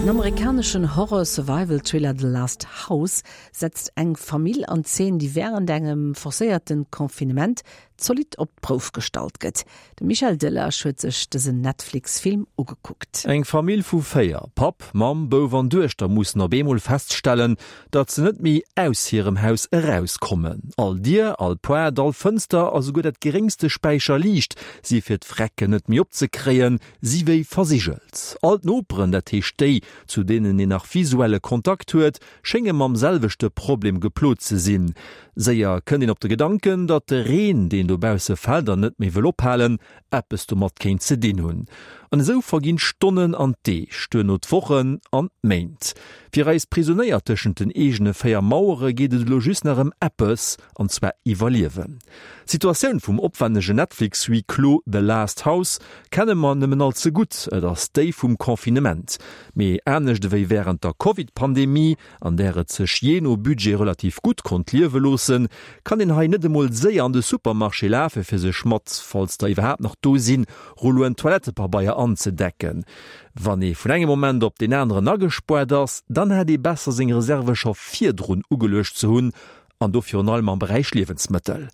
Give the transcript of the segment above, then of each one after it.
Den amerikaneschen Horror-Survival-Thriller The Last House setzt eng Famill an Zeen, déi wärend engem forcéierte Confinement zolidd op d'Prouf gestallt gëtt. De Michel Delage huet sech dësen Netflix-Film ugekuckt. Eng Famill vu 4, Papp, Mamm, Bouf an Duechter, mussen op eemol feststellen, datt se net méi aus hirem Haus erauskommen. All Dier, all Poart, all Fënster a souguer dat geréngste Späicher Liicht si fir d'Vrecken net méi opzekréien, si wéi versigelt. All d'Noperen, dat heescht déi, zu deenen een nach visuelle Kontakt huet, schénge mam selwechte Problem geplot ze sinn. Séier kënnt een op de Gedanken, datt de Reen, deen dobausse fält an net méi wëll ophalen, eppes domat kéint ze dinn hunn. An esou verginn d'Stonnen an d'Deeg, duerno d'Wochen an d'Méint. Fir eis Prisonéier tëschent den eegene 4 Mauere geet et elo just nach ëm eppes, an zwar iwwerliewen. D'Situatioun vum opwännege Netflix-Huis clos The Last House kenne mer nëmmen all ze gutt, et ass déi vum Confinement. Mee anescht ewéi wärend der Covid-Pandemie, an där et sech jee no Budget relativ gutt konnt liewe loossen, kann een hei net emol séier an de Supermarché lafe fir sech mat, falls der iwwerhaapt nach do sinn, Rulloen Toilettepabeier anzedecken. Wann ee vun engem Moment op deen aneren agespoart ass, dann hätt ee besser seng Reserve scho virdrun ugeluecht ze hunn An do virun allem am Beräich Liewensmëttel.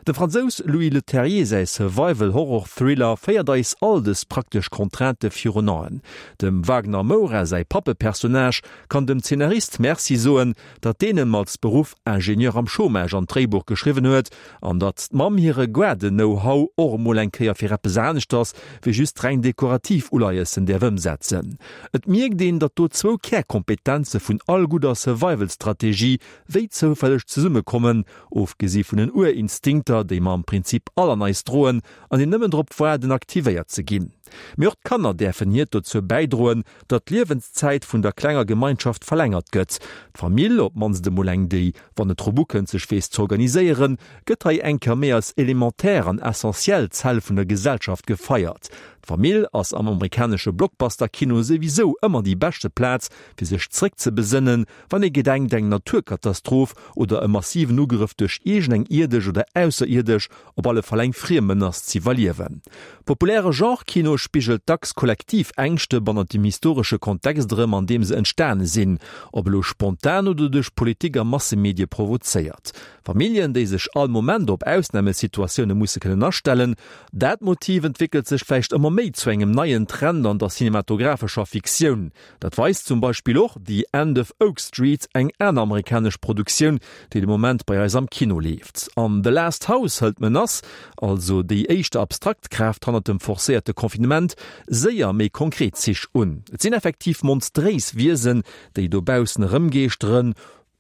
Dem Fransous Louis Leterrier säi Survival-Horror-Thriller féiert eis all dës praktesch Contraintë virun Aen. Dem Wagner Moura säi Pappepersonnage kann dem Zeenarist Merci soen, datt deen em als Beruff Ingenieur am Chômage an d'Dréibuch geschriwwen huet an datt d'Mamm hire Gaarden-Know-how och emol eng Kéier fir eppes aneschters wéi just reng dekorativ Uleiessen däerf ëmsetzen. Et mierkt een, datt do zwou Kärkompetenze vun all gudder Survival-Strategie wéi zoufälleg zesummekommen, ofgesi vun den Urinstinkter, déi mer am Prinzip all an eis droen an déi nëmmen drop waarden, aktivéiert ze ginn. Mee och d'Kanner däerfen hiert dozou bäidroen, datt d'Liewenszäit vun der klenger Gemeinschaft verlängert gëtt. D'Famill, op d'mannst emol eng, déi, wann et drop ukënnt, sech weess z'organiséieren, gëtt hei eng Kéier méi als elementär an essentiell Zell vun der Gesellschaft gefeiert. D'Famill ass am amerikanesche Blockbuster-Kino souwisou ëmmer déi beschte Plaz, fir sech zréckzebesënnen, Wann ee gedenkt, eng Naturkatastroph oder e massiven Ugrëff duerch iergend eng ierdesch oder ausserierdesch, op alle Fall eng friem Menace z'iwwerliewen. Populäre Genre-Kino spigelt dacks kollektiv Ängschte bannert dem historesche Kontext erëm, an deem se entstane sinn, ob elo spontan oder duerch Politik a Massemedie provozéiert. Familljen, déi sech all Moment op Ausnamesituatioune musse kënnen astellen, dat Motiv entwéckelt sech vläicht ëmmer méi zu engem neien Trend an der cinematographescher Fiktioun. Dat weist zum Beispill och The End of Oak Street, eng aner amerikanesch Produktioun, déi de Moment bei eis am Kino leeft. An The Last House hëlt d'Menace, also déi éischter abstrakt Kraaft hannert dem forcéierte Confinement, séier méi konkret Zich un. Et sinn effektiv monstréis Wiesen, déi dobaussen erëmgeeschteren,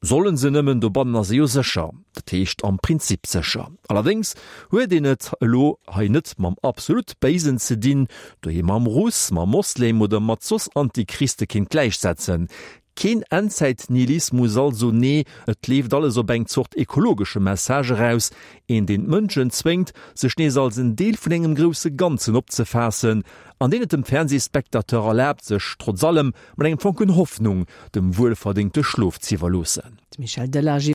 Sollen se nëmmen, dobannen ass e jo sécher, dat heescht am Prinzip sécher. Allerdéngs huet een et elo hei net mam absolut Béisen ze dinn, doheem mam Russ, mam Moslem oder mat soss Antichriste kéint gläichsetzen. Keen Endzäit-Nihilismus also, nee, et leeft alles op eng Zort ekologesche Message eraus, een deen d'Mënschen zwéngt, sech nees als en Deel vun engem grousse Ganzen opzefaassen an deen et dem Fernsehspectateur erlaabt, sech trotz allem Mat engem Fonken Hoffnung dem wuelverdéngte Schlof z'iwwerloossen. De Michel Delage.